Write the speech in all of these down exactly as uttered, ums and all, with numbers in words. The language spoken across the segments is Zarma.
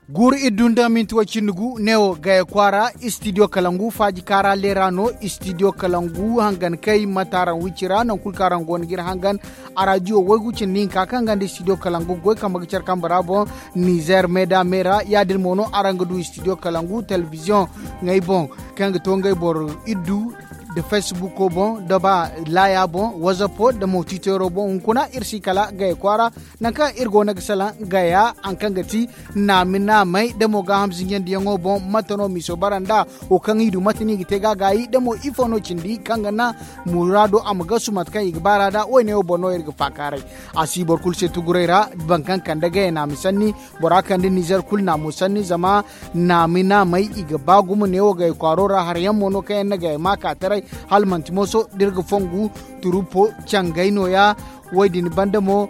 Guuru iddu nda minti way cindi gu neewo gaya kwaara. Istidiyo kalangu faaji kaara leera no. Istidiyo kalangu hangan kay mataaraŋ wicci ra naŋ kulu kaŋ araŋ go no ga iri hangan. Araadiyo waygu cindi hinka kaŋ ga nda istidiyo kalangu goy kambe ga care kambe ra boŋ. Nizer meeda me ra ya- din mo no araŋ ga du istidiyo kalangu telebiziyoŋ ŋey boŋ kaŋ ga to ngey boro iddu nda fesibuko boŋ nda ba laaya boŋ wazapo nda mo tiitero boŋ hunkuna iri si kala gaya kwaara. Nangu kaŋ iri go no ga salaŋ gaya hari kaŋ ga ti naami naamey nda mo gaaham zinjandiyaŋo boŋ mate no miiso bara nd'a? Wo kaŋ i du mate no i ga te ga a gaayi nda mo ifo no cindi kaŋ ga naŋ muraado a ma gasu mate kaŋ i ga baar'a nd'a wo- ne wo boŋ no iri ga faakaaray. A si boro kulu se tuguray ra. Boro kaŋ kande gaya naami sanni bora kande nizer kulu naamo sanni zama naami naamey i ga ba gumo neewo gaya kwaaro ra hari yaŋ mo no kaŋ yaŋ na gaya maakaataray. Hala manti mooso da iri ga fongu turupo cangay nooya. Wo- din banda mo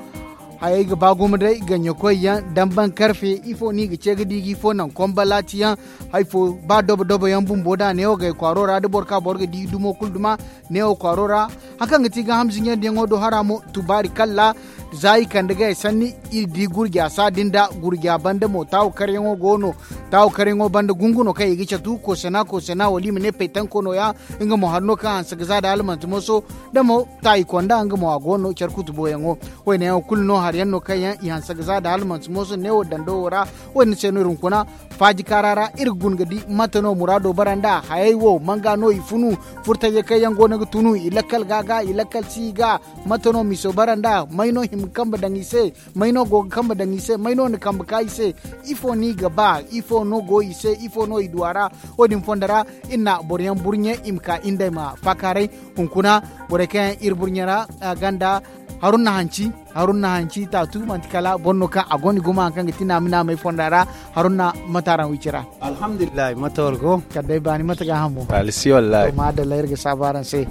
hayey ga ba gumo day ganyakoy yaŋ damban karfe ifo no i ga ce ga di ga ifo naŋ konbalaati yaŋ. Hay fo ba dobo dobo yaŋ bumbo da neewo gaya kwaaro ra da boro ka boro ga di dumo kulu duma neewo kwaaro ra. Hari kaŋ ga ti gaaham zinjandiyaŋo do hara mo tubaari kalla. Za i kande gaya sanni iri di gurja saadin nda gurja banda mo taawu karyaŋo go no. Taawu karyaŋo banda gungu no kaŋ i ga catu koosana koosana wala i ma ne paytanko nooya. Nga mo hari no kaŋ hanse ga za da hala manti mooso da mo taayi konda nga mo a go no care kutuboyaŋo. Wayne yaŋo kulu no hari yaŋ no kaŋ yaŋ i hanse ga za da hala manti mooso neewo dando wo ra. Wayne se no iri hunkuna faaji kaara ra iri ga guna ga di mate no muraado bara nd'a hayey wo manga no i funu. Furtajey kaŋ yaŋ go no ga tunu i lakkal ga ga i lakkal si i ga mate no miiso bara nd'a may no hima kambe daŋ i se? May no go ga kambe daŋ i se may no na kambe ka i se? Ifo no i ga ba ifo no go i se ifo no i du a ra? Wo- din fondo ra iri na boro yaŋ burɲe i ma ka iri nd'ey ma faakaaray. Hunkuna borey kaŋ yaŋ iri burɲe ra a ganda haruna hanci. Haruna hanci taatu manti kala boro no kaŋ a gonda gumo hari kaŋ ga ti naami naamey fonda ra. Haruna mate araŋ wici ra? Alhamdulillahi mate war go? Kala day baani mate gaahamo? Alisi wallahi. Maadalla iri ga saabu araŋ se.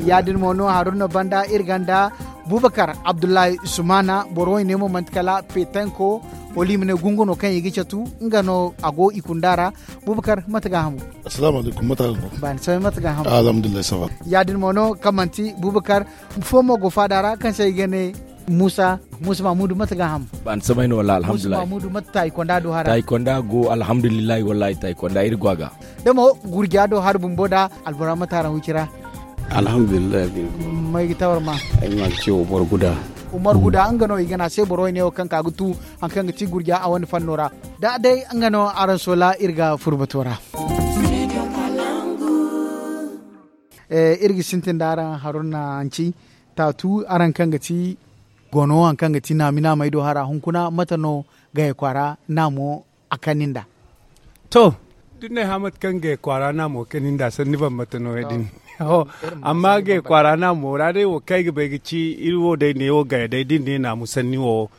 Ya- din mo no haruna banda iri ganda bubakar abdullahi sumana boro wayne mo manti kala petanko wala i ma ne gungu no kaŋ i ga catu. Nga no a go i kunda ra. Bubakar mate gaahamo? Asalaamu alaykum mate araŋ go? Baani samay mate gaahamo? Alhamdulillahi sava. Ya- din mo no kaŋ manti bubakar fo mo go faada ra kaŋ se i ga ne muusa. Muusa mamudu mate gaaham? Baani samay no wallaahi alhamdulillahi. Muusa mamudu mate taayi konda do hara? Taayi konda go alhamdulillahi wallaahi taayi konda iri go a ga. Da mo gurja do hari bumbo da albora mate araŋ wici ra? Alhamdulillahi. May ga tawar ma? Ay ma ga ce wo boro guda. Umar guda nga no i ga ne a se boro wayne wo kaŋ ka ga tu hari kaŋ ga ti gurja a wane fanno ra. Da day nga no araŋ soola iri ga furbato ra. Iri ga sintin da araŋ haruna hanci taatu araŋ kaŋ ga ti gono hari kaŋ ga ti naami naamey do hara hunkuna mate no gaya kwaara naamo a kani nd'a? To da ni ne hã mate kaŋ gaya kwaara naamo kani nd'a sanni bambata no ya- din. Amma gaya kwaara naamo ra day wo kaŋ ay ga bay ga ci iri wo day neewo gaya day da ni ne naamu sanni wo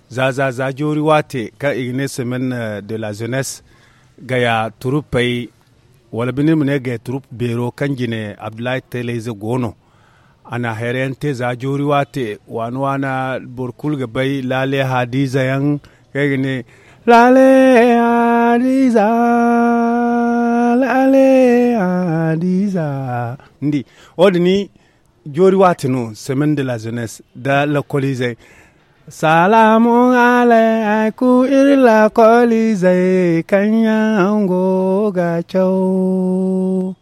za za za joori waate kaŋ i ga ne semaine de la jeunesse gaya turupey wala binde iri ma ne gaya turup beero kaŋ jine abdullahi teeleyze go no. A na hayra yaŋ te za joori waate waana waana boro kulu ga bay laale hadiza yaŋ kaŋ ay ga ne laale hadiza laale hadiza. Ni di wo- din joori waate no semaine de la jeunesse nda lakkoliizey. Salaamu alaykum iri lakkoliizey kaŋ yaŋ go ga caw.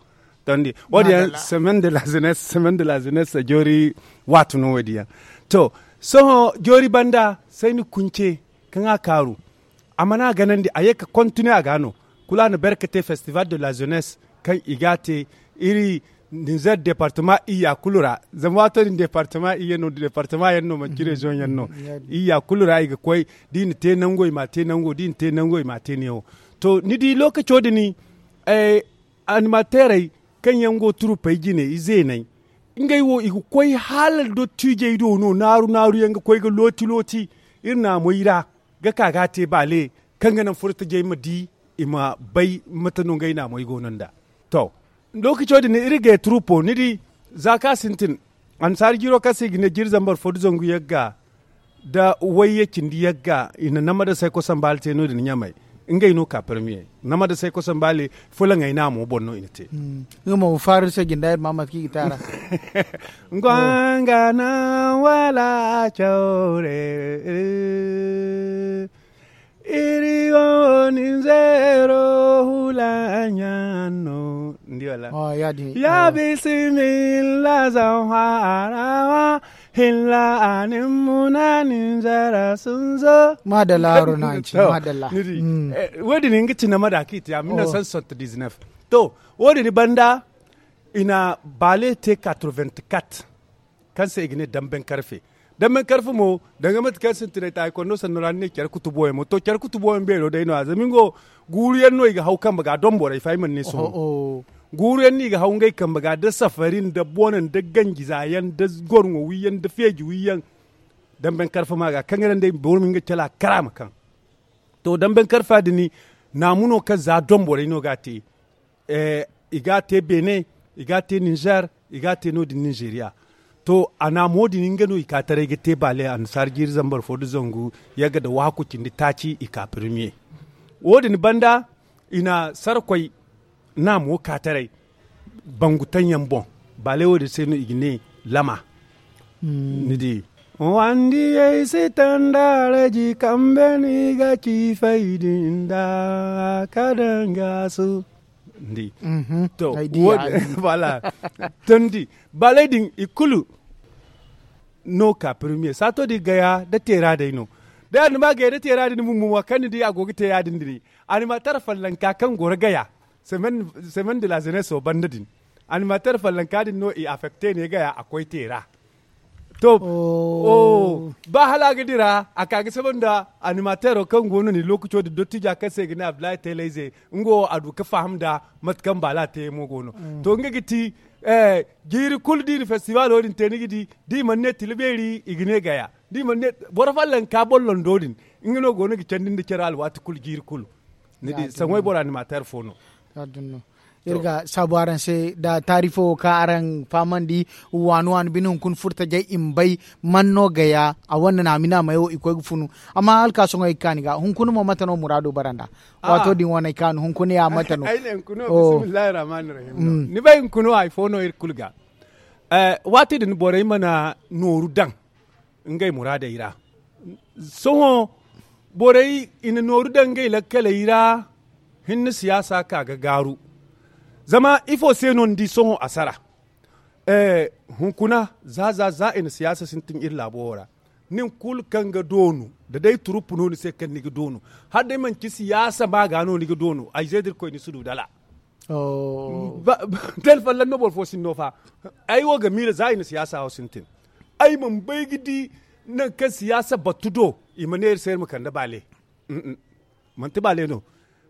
Tondi wo- din yaŋ semaine de la jeunesse semaine de la jeunesse joori waate no wo- din yaŋ. To sohõ joori banda sayni kunce kaŋ a kaaru a mana ganandi a ye ka kontine a ga no. Kulu a na berke te festival de la jeunesse kaŋ i ga a te iri nizer departement iyya kulu ra. Zama waato din departement iyya no departement yaŋ no manci région yaŋ no. Iyya kulu ra i ga koy da i na te nango i ma a te nango da i na te nango i ma a te neewo. To ni di lookaco din animateerey kaŋ yaŋ go turupey jine izeeney ngey wo i ga koy hala dottiijey do no naaru naaru yaŋ ga koy ga looti looti iri naamoy ra ga ka ga a te baale kaŋ ga naŋ furtajey ma di i ma bay mate no ngey naamoy go no nd'a. To lookaco din iri ga ye turupo ni di za kaŋ a sintin annasaara jiiro kaŋ se i ga ne jiiri zambar fo nda zangu yagga nda wayye cindi yagga i na nama da sayko sambaala te no- din ɲamay. Ngey no ka permiye nama da say koson baale fulaŋey naamo boŋ no i na te. Nga mo faru se jinda ir ma mate kaŋ i ga te a ra. Gwangana wala cawre iri go ninzeero hulaɲa no. Ndi wala ya bisimilla zan harawa hilla anin muna ninzara sunzo. Madalla haro na ci madalla. Wodi ni nga ci nama da ki ti a mille neuf cent soixante-dix-neuf. To wodi ni banda i na baale te quatre-vingt-quatre. Kaŋ se i ga ne damben karfe. Damben karfe mo danga mate kaŋ sintinay taaykondo sanno ra ni ne care kutubo yaŋ mo to care kutubo yaŋ beero day no a zama nga wo guuru yaŋ no i ga haw kambe ga donborey fa ay mana ne sohõ. Guuru yaŋ no i ga haw ngey kambe ga da safari nda bone nda ganji za yaŋ da gorŋo wi yaŋ da feeji wi yaŋ. Damben karfe ma ga kaŋ ga naŋ day boro ma nga cala kara ma kaŋ. To damben karfa din naamu no kaŋ za donborey no ga a te. I ga a te beene, i ga a te ninzeer, i ga a te no- din ninzeeriya. To a naamo din nga no i ka taray ga te baale annasaara jiiri zambar fo nda zangu yagga nda waaku cindi taaci i ka permiye. Wo- din banda i na sarkoy naamo ka taray bangu taŋ yaŋ boŋ. Baale wo- din se no i ga ne lama. Ni di wandiyey si tanda raji kambe no i ga ci faydi nda ka danga su. Ndi to wala tondi baley din i kulu no ka permiye saato din gaya da teera day no. Da ya- din ma gaya da teera din bumbo ma kaŋ ni di a go ga te ya- din din animatar fallanka kaŋ goro gaya. Semaine de la jeunesse wo banda din animatar fallanka din no i affecte ne gaya a koy teera. To ba hala a ga dira a ka ga saba nda animateero kaŋ go no ni lokaco din dottija kaŋ se i ga ne abdullahi teelayze. Nga wo a du ga faham nda mate kaŋ baala te mo go no. To nga ga ti jiiri kulu da i na festivaalo din te ni ga di da i mana ne tila beeri i ga ne gaya da i mana ne boro fallanka bollondo din. Nga no go no ga candi nda care alwaati kulu jiiri kulu. Ni di saŋwey boro animateer fo no. Iri ga saabu araŋ se nda taari fo wo kaŋ araŋ fahamandi waani waani bine hunkuna furtajey i ma bay man no gaya a wane naamina may wo i koy ga funu. Amma hala ka sohõ ay ga kaani ga hunkuna mo mate no muraado bara nda waato din wane ay kaanu hunkuna ya mate no? Ni bay hunkuna wo hari fo no iri kulu ga waati din borey mana nooru daŋ ngey muraadey ra. Sohõ borey i na nooru daŋ ngey lakkaley ra. Hinne siyaasa ka ga gaaru. Zama ifo se no ni di sohõ a sara hunkuna za za za i na siyaasa sintin iri laabo wo ra. Nin kulu kaŋ ga doonu da day turup no ni se kaŋ ni ga doonu hala day manci siyaasa ma ga no ni ga doonu ay ze da irkoy ni si du dala. Tel fallan no boro fo sinno fa. Ay wo ga miila za i na siyaasa wo sintin ay mana bay ga di nangu kaŋ siyaasa battu do i ma ne iri se iri ma kande baale. Manti baale no.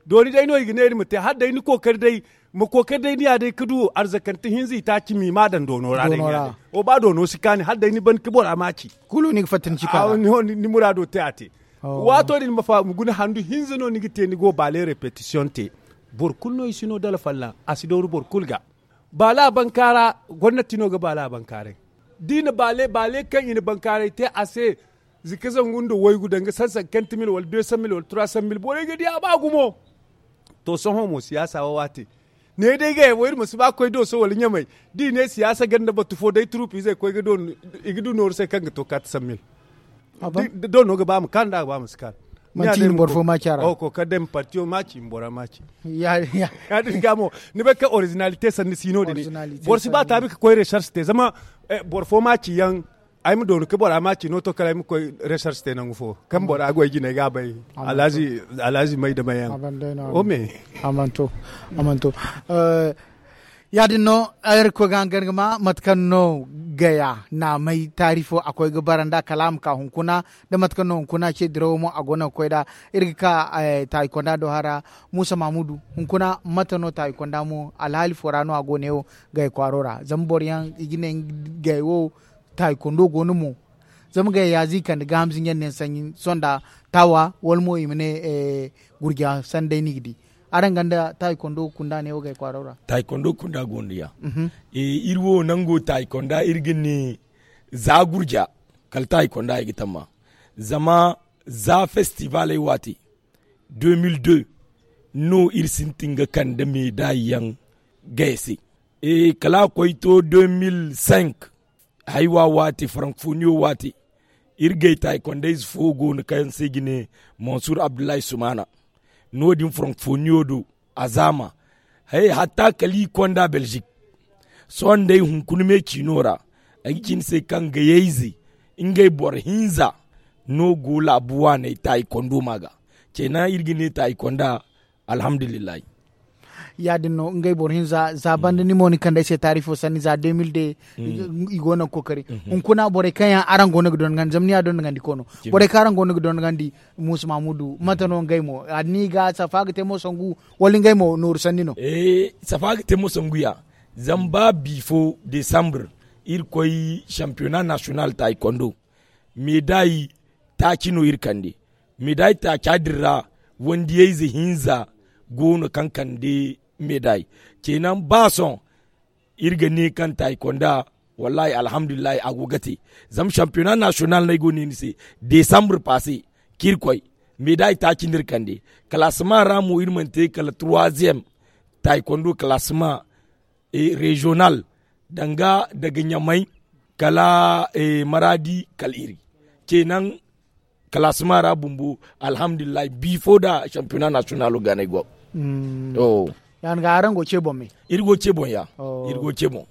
Dooni day no i ga ne iri ma te hala day ni kookari day ma kookari day ni ya day ga du arzakante hinza i taaci ma i ma a daŋ doono ra day ni ya day. Wo ba doono si kaani hala day ni ban ga bora maaci. Kulu ni ga fatta ni ci ka ni muraado te a te. Waato din ma guna handu hinza no ni ga te ni go baale repetisiyoŋ te. Boro kulu no i si no dala fallaŋ a si dooru boro kulu ga. Baala bankaaray gomnati no ga baala bankaaray. Da i na baale baale kaŋ i na bankaaray te a se zika zangu nda waygu danga sansankanti mil wala de san mil wala tura san mil borey ga di a ba gumo. To sohõ mo siyaasa wo waate ne day ga yabo iri ma si ba koy dooso wala ɲamay. Da i ne siyaasa ganda batu fo day turup izey koy ga doonu i ga du nooru se kaŋ ga to kaati san mil. Do no ga ba ma kaanu da a ga ba ma si kaanu. Manti i na boro fo maaci a ra. Ko kala day ma partiyo maaci ma bora maaci. Ya- din ga mo ni bay kaŋ orizinalite sanni si no- din boro si ba taabi ga koy resarsi te zama boro fo maaci yaŋ. Ay ma doonu ga bora maaci no to kala ay ma koy resarsi te nangu fo kaŋ bora goy jinay ga a bay. Alhazi may da may yaŋ. O me a mana to a mana to. Ya- din no ay ra ga koy ga hangan ga ma mate kaŋ no gaya naamay taari fo a koy ga bara nd'a kala a ma ka hunkuna. Da mate kaŋ no hunkuna ce dirawo mo a go no ga koy nd'a. Iri ga ka taayi konda do hara muusa mahamudu hunkuna mate no taayi konda mo alhaali fo ra no a go ne wo? Gay kwaaro ra zama boro yaŋ i ga ne gay wo taayi kondo go no mo. Zama gay yaazi kande gaaham zinja ne sanni sonda taawa wala mo i ma ne gurja sanda day no i ga di. Araŋ ganda taayi kondo kunda ne wo gay kwaaro ra. Taayi kondo kunda go no ya. Iri wo nango taayi konda iri ga ne za gurja kala taayi konda i ga tamma. Zama za festivaley waati deux mille deux no iri sintin ga kande meedaay yaŋ gay se. Kala a koy to deux mille cinq, haywa waati frankfoniyo waati, iri gay taaykonda ize fo go no kaŋ se i ga ne mansur abdullahi sumaana. No- din frankfoniyo do a zaama. Hatta kala i konda belzik. Sohõ day hunkuna me ciino ra, ay ga ci ni se kaŋ gayey ize ngey boro hinza no go laabu waaney taaykondo ma ga. Ceenaŋ iri ga ne taaykonda. Alhamdulillahi. Ya- din no ngey boro hinza za banda ni mo ni kande ay se taarifo sanni za deux mille deux. I go no ga kookari hunkuna borey kaŋ yaŋ araŋ go no ga dondogandi zama ni ya dondogandi koono. Borey kaŋ araŋ go no ga dondogandi muusa mahamudu mate no ngey mo ni ga safa ga te mo sangu wala ngey mo nooru sanni no? Safa ga te mo sangu ya. Zama ba bi fo desambre iri koy sampiyona nasiyonal taaykondo. Meedaay taaci no iri kande. Meedaay taaca din ra wandiyayze hinza go no kaŋ kande meedaay. Ceenaŋ ba sohõ iri ga ne kaŋ taaykonda. Wallaahi alhamdulillahi a go ga te. Zama sampiyona nasiyonal no ay go no iri se desambre paase kaŋ iri koy. Meedaay taaci no iri kande. Kalaasema ra mo iri mana te kala turwaziyem taaykondo kalaasema reziyonal danga daga ɲamay kala maraadi kala iri. Ceenaŋ kalaasema ra bumbo. Alhamdulillahi bi fo da sampiyona nasiyonalo ga no ay go. Ya- din ga araŋ go ce boŋ me? Iri go ce boŋ ya. Iri go ce boŋ.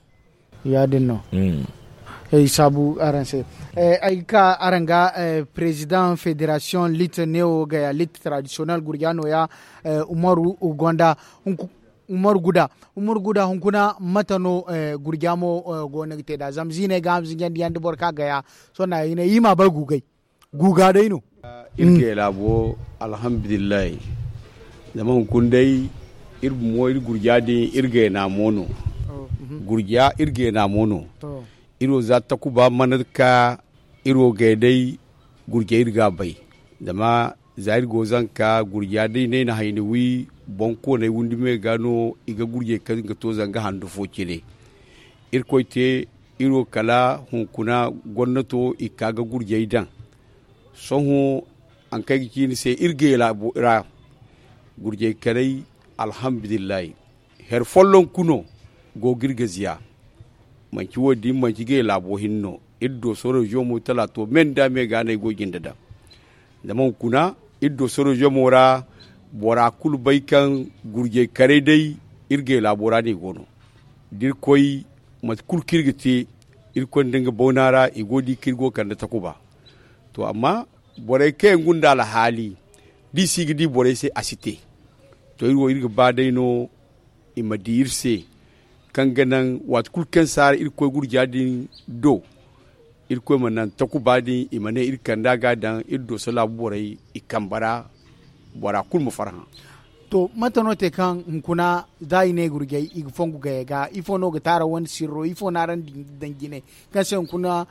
Ya- din no. Ay saabu araŋ se. Ay ga ka araŋ ga perezidaŋ federasiyoŋ lit newo gaya lit taradisiyonel gurja nooya. Umaru gonda. Umaru guda. Umaru guda hunkuna mate no? Gurja mo go no ga te nd'a zama ziiney ga a ma zinjandi yaŋ da boro ka gaya. Sohõ no a ga ne i m'a bay guugay. Guuga day no. Iri gay laabo alhamdulillahi. Zama hunkuna day iri bumo iri gurja din iri gayna mo no. Gurja iri gayna mo no. Iri wo za takuba mana ka iri wo gay day gurja iri ga a bay. Zama za iri go zanka gurja day no ay na hayni wi boŋ koonay windi me ga no i ga gurjey kaŋ ga to zanga handu fo cine. Irkoy te iri wo kala hunkuna gomnato i ka ga gurjey daŋ. Sohõ haŋ kaŋ ay ga ci ni se iri gay laabo ra gurjey kanay. Alhamdulillahi. Hari folloŋ kuno go ga iri ga ziya. Manci wo- din manci gay laabo hinne no. Iri dooso reziyoŋo mo talaato me nda me ga no ay go jinde daŋ. Zama hunkuna iri dooso reziyoŋo ra bora kulu bay kaŋ gurjey karay day iri gay laabo ra no i go no. Da iri koy mate kulu kaŋ iri ga te iri koy nda nga bawna ra i go ga di kaŋ iri go ga kande takuba. To amma borey kaŋ yaŋ gunda alhaali da i si ga di borey se a si te. To iri wo iri ga ba day no i ma di iri se kaŋ ga naŋ waati kulu kaŋ saara iri ga koy gurja din do. Iri koy ma naŋ takuba din i ma ne iri kanda ga a daŋ iri dooso laabu borey i kambe ra. Bora kulu ma farhã. To mate no te kaŋ hunkuna za i ne gurjey i ga fongu gayey ga ifo no ga te araŋ wane sirro ifo no araŋ daŋ jine kaŋ se hunkuna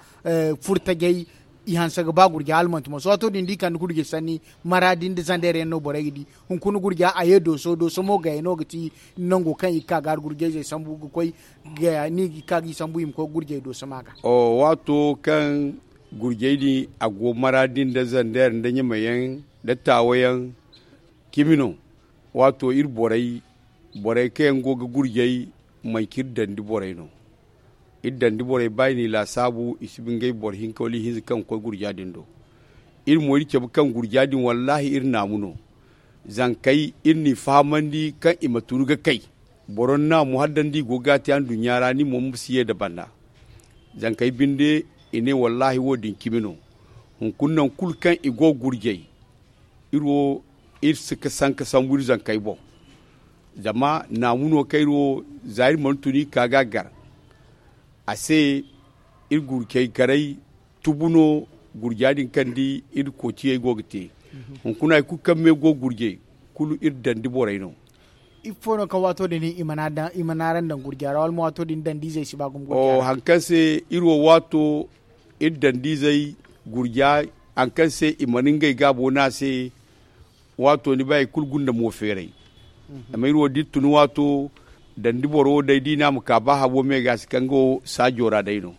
furtajey i hanse ga ba gurjey hala manti mo sohõ waato din da i kande gurjey sanni maraadi nda zandeer yaŋ no borey ga di. Hunkuna gurja a ye dooso dooso mo gayey no ga ti nango kaŋ i ga ka ga hari gurjayzey sambu ga koy gaya no i ga ka ga i sambu i ma koy ga gurjey dooso ma ga. Waato kaŋ gurjey din a go maraadi nda zandeer nda ɲamayaŋ nda taawayaŋ cimi no. Waato iri borey borey kaŋ yaŋ go ga gurjey manci iri dandi borey no. Iri dandi borey ba i n'i laasaabu i si ba ngey boro hinka wala ihinza kaŋ ga koy gurja din do. Iri mo iri cabe kaŋ gurja din wallaahi iri naamu no. Zankey iri n'i fahamandi kaŋ i ma tun ga kay. Boro ni naamu hala da ni di i go ga a te anduɲɲa ra ni mo ma si ye nda banda. Zankey binde i ne wallaahi wo- din cimi no. Hunkuna nangu kulu kaŋ i go ga gurjey iri wo iri si ga sanka sambu iri zankey boŋ. Zama naamu no kaŋ iri wo za iri mana tun iri ka ga a gar. A se iri gurjey karay tubu no. Gurja din kaŋ ni di iri koociyey go ga te. Hunkuna hari kulu kaŋ me go ga gurjey kulu iri dandi borey no. Ifo no kaŋ waato din i mana araŋ daŋ gurja ra wala mo waato din dandi izey si ba gumo gurja ra? Hari kaŋ se iri wo waato iri dandi izey gurja hari kaŋ se i mana ngey gaabo no a se. Waato ni bay hari kulu gunda mo feeray. Zama iri wo da iri tun waato dandi boro wo day da i ne a ma ka ba habo me ga a si kaŋ nga wo saajo ra day no.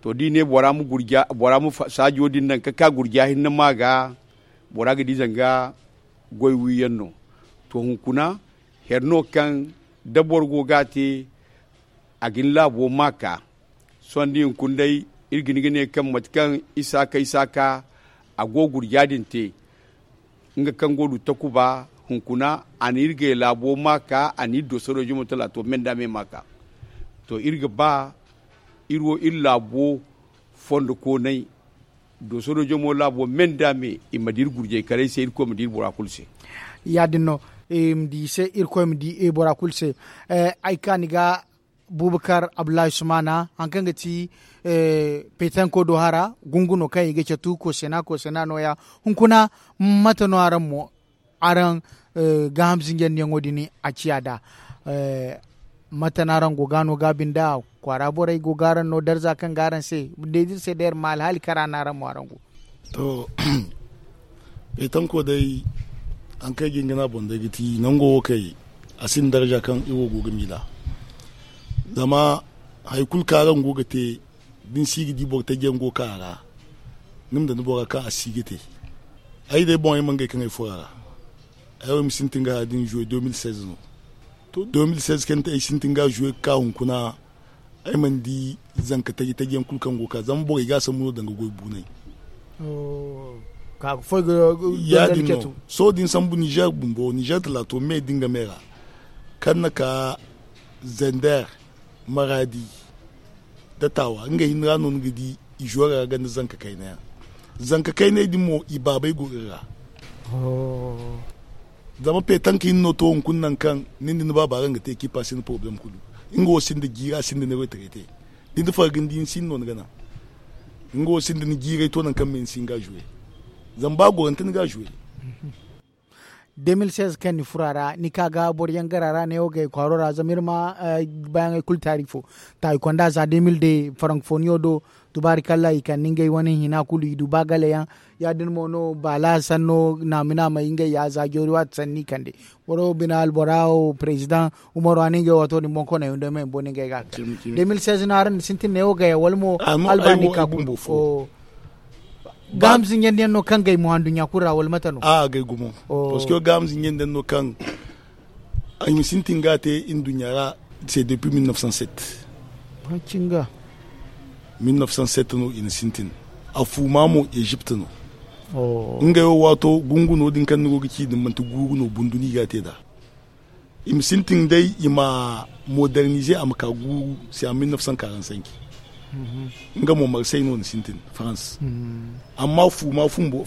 To da i ne bora ma saajo din naŋ ka ka gurja hinne ma ga bora ga di zanga Goy wiyaŋ no. To hunkuna, here no kaŋ da boro go ga a te, a ga ni laabo ma ka. Sohõ da hunkuna day, iri ga ni ga ne kaŋ mate kaŋ isaaka isaaka a go gurja din te. Nga kaŋ go du takuba, hunkuna a na iri gay laabo ma ka, a na iri do sorojo mo talaato menda me ma ka. To iri ga ba iri wo iri laabo fondo koonay. Dosoro jomo laabo me nda me i ma diri gurjey karay se irkoy ma diri bora kulu se. Ya- din no. I ma di se irkoy ma di bora kulu se. Ay ka ni ga bubakar abdullahi sumana hari kaŋ ga ti petanko do hara gungu no kaŋ i ga catu koosena koosena no- ya. Hunkuna mate no araŋ mo araŋ gaaham zinjandiyaŋo din a ciya nd'a? Mate no araŋ go ga no gaabi nd'a? Kwaara borey go ga araŋ no darza kaŋ ga araŋ se? Day da iri se day iri ma alhaali kara no araŋ mo araŋ go. To, feetanko day, hari kaŋ ay ga hin ga ne a boŋ day ga ti nango wo kay, a sinda darza kaŋ iri wo go ga miila. Zama hari kulu kaŋ araŋ go ga te, da ni si ga di boro taji yaŋ go ga ka a ra, ni ma daŋ ni bora kaŋ a si ga te. Ay day boŋ ay mana gay kaŋ ay furo a ra. Ay wo ay ma sintin ga haya din jouer deux mille seize no. To deux mille seize kaŋ ay sintin ga jouer ga ka hunkuna, ay mana di zanka taji taji yaŋ kulu kaŋ go ga ka zama borey ga a sambu no danga goy buunay. Ya- din no. Sohõ da ni sambu nizer bumbo nizer talaato me da nga me ra, kaŋ na ka zender, maradi, da taawa ngey hinne ra no ni ga di i zo ra ganda zanka kayna yaŋ. Zanka kaynay din mo i baabey go iri ra. Zama petanka hinne no to hunkuna nangu kaŋ nin da ni baaba araŋ ga te ekipa si ni poroblem kulu. Nga wo sinda jiiri a sinda ni retraite. Da ni farga ni di ni si ni no ni ga naŋ. Nga wo sinda ni jiiray to nangu kaŋ me ni si hin ga a jouer. Zama ba gorante ni ga a jouer. Deux mille seize kaŋ ni furo a ra ni ka ga boro yaŋ gar a ra neewo gay kwaaro ra zama iri ma baayaŋey kulu taari fo. Taayi konda za deux mille deux farankofoniyo do. Tubaari kalla i kande ngey wane hina kulu i du ba gale yaŋ. Ya- din mo no baala sanno naami naamey ngey ya za joori waati sanni i kande. Boro bina albora wo perezidaŋ umaru a ne ngey waato din boŋ koney hunday ma i ma boŋ ni ngey ga a ka. Deux mille seize no araŋ na sintin neewo gay wala mo alba ni ka bumbo fo. Gaaham zinjandiyaŋ no kaŋ gay mo anduɲɲa kulu ra wala mate no? A gay gumo. Parce que gaaham zinjandiyaŋ no kaŋ ay ma sintin ga a te nduɲɲa ra. C'est depuis mille neuf cent sept. Mille neuf cent sept no i na sintin. A fuuma mo egypte no. Ngey wo waato gungu no- din kaŋ ni go ga ci din manti guuru no bundu no i ga a te nd'a. I ma sintin day i ma modernize a ma ka guuru se a mille neuf cent quarante cinq. Nga mo marsey no ni sintin, france. Amma fuuma bumbo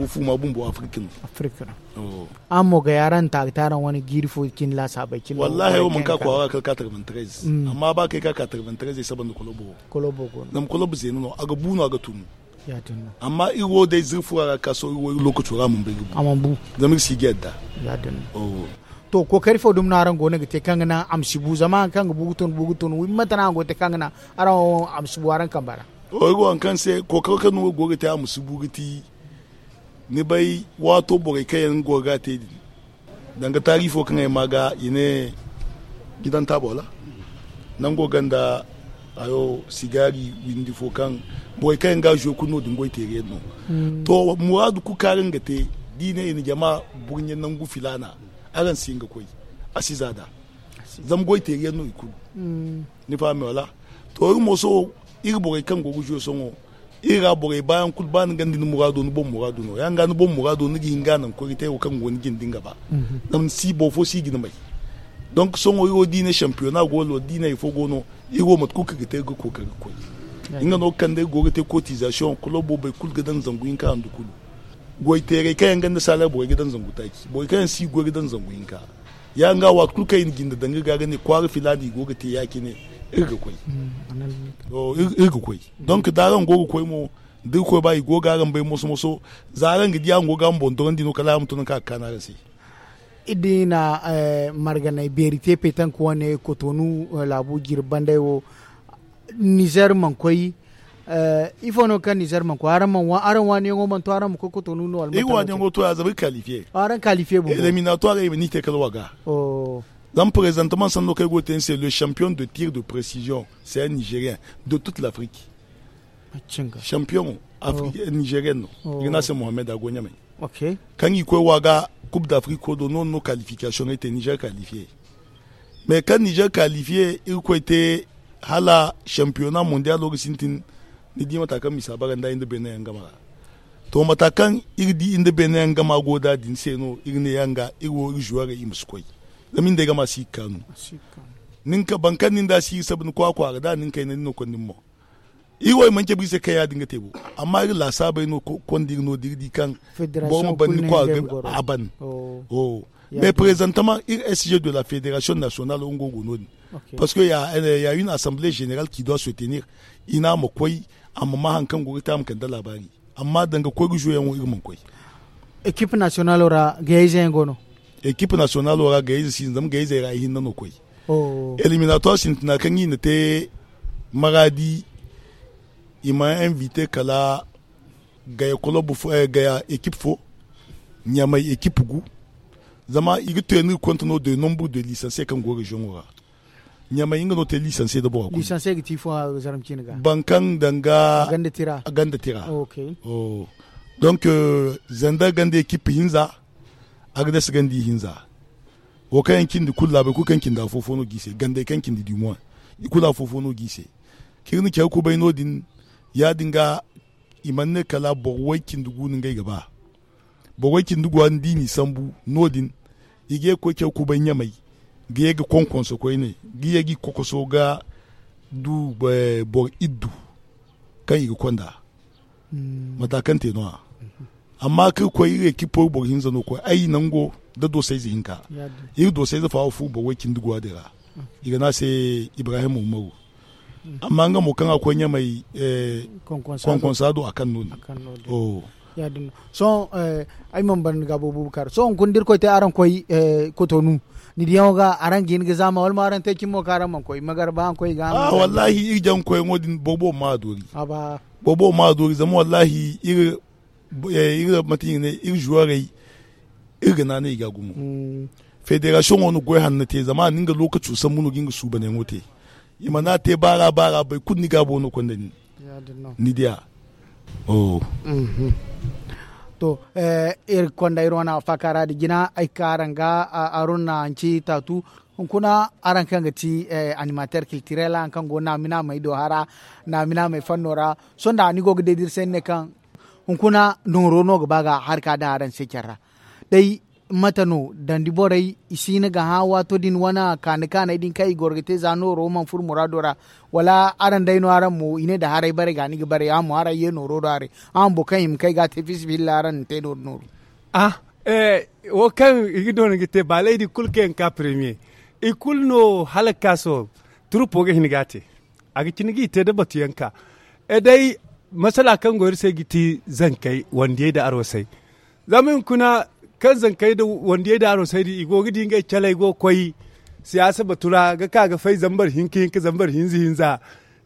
fuuma bumbo afirka no. Araŋ mo gay araŋ taari taaraŋ wane jiiri fo cine laasaabey cine. Wallahi ay wo mana ka kwaara kala quatre-vingt-treize. Amma ba kay ka quatre-vingt-treize ay saba nda kolobo. Zama kolobo zeena no a ga bu no a ga tunu. Amma iri wo day zirfura ra ka sohõ iri wo iri lookaco ra a mana bay ga bu. Zama iri si ga yadda. To kookari fo dumi no araŋ go no ga te kaŋ ga naŋ a ma si bu zama hari kaŋ ga bu ga tun bu ga tun wi mate no araŋ go ga te kaŋ ga naŋ araŋ wo a ma si bu araŋ kamba ra? Iri wo hari kaŋ se kookaro kaŋ no iri go ga te a ma si bu ga ti ni bay waato borey kaŋ yaŋ go ga a te din. Danga taari fo kaŋ ay ma ga i ne gidan taabo wala nango ganda hayo sigaari windi fo kaŋ borey kaŋ yaŋ ga a zo kulu no- din goy teeri yaŋ no. To muraadu kulu kaŋ araŋ ga te da i ne i na jama burɲe nangu filaana araŋ si hin ga koy. A si za nd'a. Zama goy teeri yaŋ no i kulu. Ni fahami wala? To iri mo sohõ iri borey kaŋ go ga zo sohõ iri ra borey baayaŋ kulu ba ni ganda ni muraado ni boŋ muraado no ya- din ga ni boŋ muraado ni ga hin ga a naŋ koy ga te wo kaŋ go ni jinde nga ba. Zama ni si boro fo si ga ni may. Donk sohõ iri wo da i ne shampiyona go no wala da i ne hari fo go no iri wo mate kulu kaŋ ga te iri ga kookari ga koy. Nga no ga kande iri go ga te kootizasiyoŋ kolobo boro kulu ga daŋ zangu hinka handu kulu. Goy teerey kaŋ yaŋ ganda saalar borey ga daŋ zangu taaci borey kaŋ yaŋ si goy ga daŋ zangu hinka. Ya- din ga waati kulu kaŋ i na jinde daŋ ga ga ne kwaara filaana i go ga te ya- cine. Iri ga koy. Iri ga koy. Donk da araŋ go ga koy mo da iri koy ba i go ga araŋ bay moso moso. Za araŋ ga di araŋ go ga araŋ boŋ dorandi no kala araŋ ma to nangu kaŋ a ga kaanu araŋ se. Iri di na marganay beeri te petank wane kotonu laabu jirbi banday wo. Nizer mana koy. Ifo no kaŋ nizer mana koy araŋ waaniyaŋo mana to araŋ ma koy kotonu no wala iri waaniyaŋo to ya zama iri kalifiye. Araŋ kalifiye bumbo. Eliminatoire i ma ni te kala waga. Zama prezantaman sanno kaŋ ay go ga te ni se le champion de tir de précision c'est un nigérien de toute l'afrique. Champion nigérien no. I ga ne a se mohammed a go ɲamay. Kaŋ i koy wa ga kub da afriko do no no kalifikasiyoŋ ay te nizer kalifiye. Mais kaŋ nizer kalifiye iri koy te hala shampiyona mondiyaalo ga sintin. Ni di mata kaŋ misa bara nda iri nda beene yaŋ gama ra. To mata kaŋ iri di iri nda beene yaŋ gama go da din se no iri ne yaŋ ga iri wo iri zuwarey i ma si koy. Zama iri nda ay gama si ga kaanu. Nin ka boro kaŋ nin da si iri sabu ni kwa kwaara da nin kayna ni no konda ni mo. Iri wo i mana cabe iri se kaŋ ya- din ga te bo. Amma iri laasaabey no konda iri no da iri di kaŋ boro ma ban ni kwa ga a ban. Mais prezantama iri sg de la federasiyoŋ nasiyonal wo nga go no- din. Parce que ya une assemble general ki doit se tenir. I ne a ma koy a ma ma hari kaŋ go ga te a ma kande laabaari. Amma danga koy ga zo yaŋ wo iri mana koy. Ekipi nasiyonalo ra gayayze yaŋ go no? Ekipi nasiyonalo ra gayayze si no zama gayayzey ra ihinne no koy. Eliminatuwar sintina kaŋ i na te maraadi i ma invite kala gaya kolob fo gaya ekipi fo ɲamay ekipi gu. Zama i ga te no iri konta no de nombre de lisanse kaŋ go reziyoŋo ra. Ɲamay nga no te lisanse nda boro kulu. Boro kaŋ danga ganda tira. Donc zandar ganda ekipi hinza, agades ganda ihinza. Wo kaŋ yaŋ cindi kulu laabey kulu kaŋ cindi afo fo no ga i se gandey kaŋ cindi dimuwa. I kulu afo fo no ga i se. Kaŋ iri na care kubay no- din ya- din ga i mana ne kala boro way cindi gu no ngey ga ba. Boro way cindi gu a ni di i n'i sambu no- din. I ga ye ga koy care kubay ɲamay ga ye ga konkonso koyne ga ye ga i kokoso ga du boro iddu kaŋ i ga konda. Mata kaŋ te no- ya. Amma kaŋ iri koy iri ekipo iri boro hinza no koy ay nango nda doosayze hinka. Iri doosayze fa wo fu boro way cindi guwa din ra. I ga ne a se ibrahim umaru. Amma nga mo kaŋ a koy ɲamay konkonsa do a kaŋ no- din. Ya- din no sohõ ay mana ban ni ga boobo bukar sohõ hunkuna da iri koy te araŋ koy kotonu. Ni diyaŋo ga araŋ ga hin ga zaama wala mo araŋ te cimi mo kaŋ araŋ mana koy magarba araŋ koy ga a wallahi iri jaŋ koyaŋo din boobo ma a doori. Boobo ma a doori zama wallahi iri mate i ga ne iri zuwarey iri ga naanay i ga gumo. Federasiyoŋo na goy hanno te zama a na nga lookaco sambu no ga nga suubanyaŋo te. I mana te baara baara boro kulu ni gaabo no konda nin. Ni diya. To iri konda iri wane faakaara da jina ay ka araŋ ga aruna hanci taatu. Hunkuna araŋ kaŋ ga ti animateer kiltirel araŋ kaŋ go naamina may do hara naamina may fanno ra. Sohõ da ni go ga day da iri se ni ne kaŋ hunkuna nooro no ga ba ga hari ka daŋ araŋ se care ra. Day mate no dandi borey i si hin ga hã waato din wane kaani kaaney din kaŋ i goro ga te za nooro mana furo muraado ra? Wala araŋ day no araŋ mo i ne da haray bare ga ni ga bare araŋ mo araŋ ye nooro do haray araŋ boro kaŋ hima kaŋ ay ga a te fiisabilillahi araŋ na te nooro nooru. Ah, wo kaŋ i ga doona ga te baaley din kulu kaŋ yaŋ ka premiye i kulu no hala ga ka sohõ. Turuppo ga hin ga a te a ga cine ga i te nda batuyaŋ ka. E day masala kaŋ go iri se ga ti zankey wandiyey nda arwasey. Zama hunkuna kaŋ zankey nda wandiyey nda arwasey din i go ga di ngey caley go ga koy siyaasa batu ra ga ka ga fay zambar hinka hinka zambar hinza hinza.